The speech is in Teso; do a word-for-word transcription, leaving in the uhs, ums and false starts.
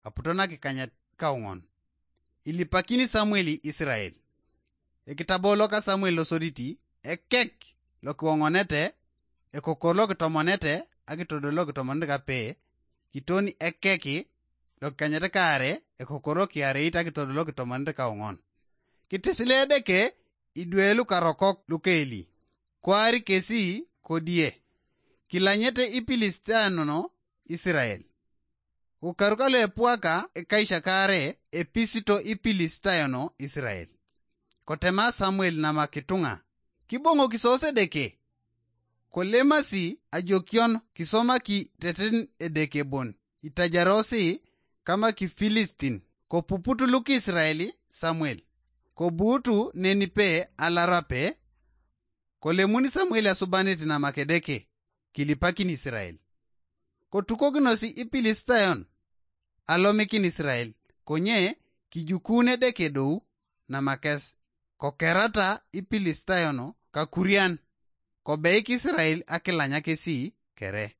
aputo nakikanyet kauŋon. Ilipakini Samuel Israel. Ekitabo loka Samuel losoditi, ekek lokiwoŋonete, ekokor lokitomonete, akitodol lokitomonete kape, kiton ekek lokikanyet kaare, ekokor lokiareit akitodol lokitomonete kauŋon. Kitisile Edeke idwe lukarokok lukeeli, kwaar kesi kodie, kilanyete Ipilistayono Israel. Ukaru kalu epuaka ekaisakare episito Ipilistayono Israel. Kotema Samuel namak ituŋa, kiboŋokis sos Edeke. Kolemasi ajokion kisomaki teten Edeke bon itajarosi kama Kifilistin. Kopuput lukisrael Samuel, kobuutu nenipe alarape. Kolemuni Samuel asubanit namak Edeke, kilipakin Israel. Kotukokinosi Ipilistayon alomikin Israel, konye kijukuun Edeke dou namakes. Kokerata Ipilistayon kakurian, kobeik Israel akilanya kesi kere.